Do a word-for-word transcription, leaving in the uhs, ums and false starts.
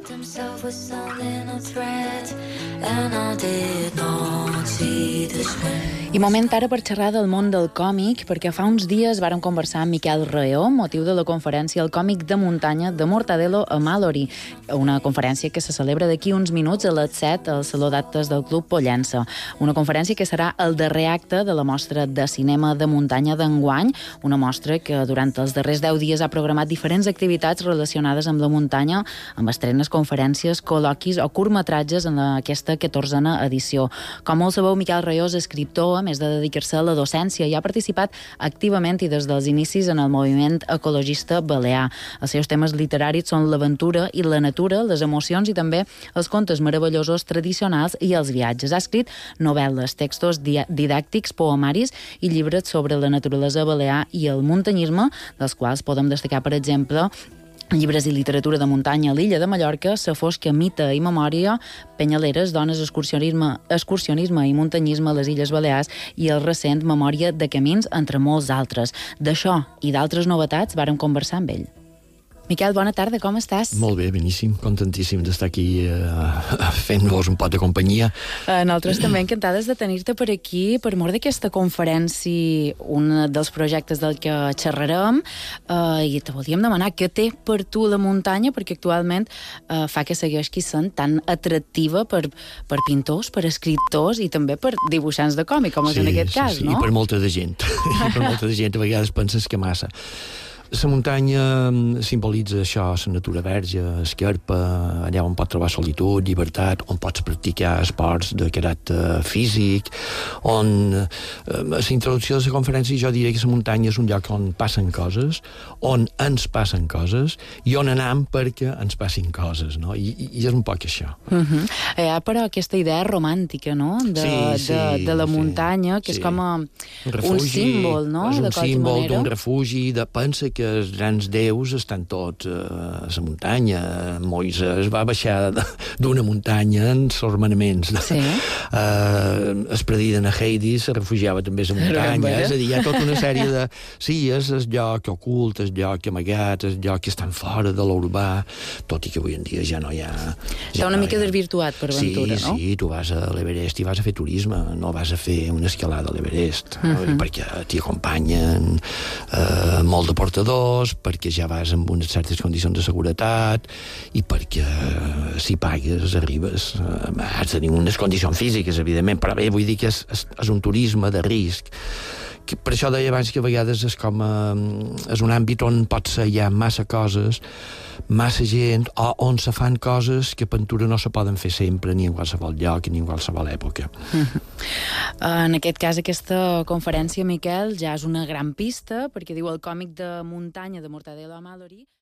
himself was selling a threat, and I did not see this way. I moment ara per xerrar del món del còmic, perquè fa uns dies vàrem conversar amb Miquel Raó, motiu de la conferència El còmic de muntanya de Mortadelo a Mallory, una conferència que se celebra d'aquí uns minuts a les set al Saló d'Actes del Club Pollença. Una conferència que serà el darrer acte de la mostra de cinema de muntanya d'enguany, una mostra que durant els darrers deu dies ha programat diferents activitats relacionades amb la muntanya, amb estrenes, conferències, col·loquis o curtmetratges en aquesta catorzena edició. Com molt sabeu, Miquel Raó és escriptor, a més de dedicar-se a la docència, i ha participat activament i des dels inicis en el moviment ecologista balear. Els seus temes literaris són l'aventura i la natura, les emocions i també els contes meravellosos tradicionals i els viatges. Ha escrit novel·les, textos didàctics, poemaris i llibres sobre la naturalesa balear i el muntanyisme, dels quals podem destacar, per exemple, llibres i literatura de muntanya a l'illa de Mallorca, Sa fosca mita i memòria, Penyaleres, dones, excursionisme, excursionisme i muntanyisme a les Illes Balears i el recent Memòria de camins, entre molts altres. D'això i d'altres novetats vàrem conversar amb ell. Miquel, bona tarda, com estàs? Molt bé, beníssim, contentíssim d'estar aquí eh, fent-vos un pot de companyia. Eh, nosaltres també encantades de tenir-te per aquí, per mort d'aquesta conferència, un dels projectes del que xerrarem, eh, i te volíem demanar què té per tu la muntanya, perquè actualment eh, fa que segueixi sent tan atractiva per, per pintors, per escriptors i també per dibuixants de còmic, com és sí, en aquest sí, cas, sí, no? I per molta de gent. I per molta de gent, a vegades penses que massa. La muntanya simbolitza això, la natura verge, esquerpa, allà on pots trobar solitud, llibertat, on pots practicar esports de caràcter físic, on a la introducció de la conferència jo diria que la muntanya és un lloc on passen coses, on ens passen coses i on anem perquè ens passin coses, no? I, i és un poc això. Uh-huh. Hi ha, però, aquesta idea romàntica, no?, de, sí, sí, de, de la sí, muntanya, que sí. és com a un, refugi, un símbol, no?, és un de qualsevol símbol manera. d'un refugi, de pensa que els grans déus estan tots a la muntanya. Moisès va baixar d'una muntanya en els manaments. Sí. Uh, es prediden a Hades, se refugiava també a la muntanya. És a dir, hi ha tota una sèrie de... Sí, és el lloc ocult, el lloc amagat, el lloc que estan fora de l'urbà, tot i que avui en dia ja no hi ha... Està una no mica ha... desvirtuat per aventura, sí, no? Sí, sí, tu vas a l'Everest i vas a fer turisme, no vas a fer una escalada a l'Everest, uh -huh. perquè t'hi acompanyen uh, molt de portadors, perquè ja vas amb unes certes condicions de seguretat i perquè si pagues arribes. Has de tenir unes condicions físiques, evidentment, però bé, vull dir que és, és, és un turisme de risc. Que per això deia abans que a vegades és com a, és un àmbit on pot ser hi ha massa coses, massa gent, o on se fan coses que a Ventura no se poden fer sempre, ni en qualsevol lloc, ni en qualsevol època. Uh-huh. En aquest cas, aquesta conferència, Miquel, ja és una gran pista, perquè diu el còmic de muntanya de Mortadelo a Mallory.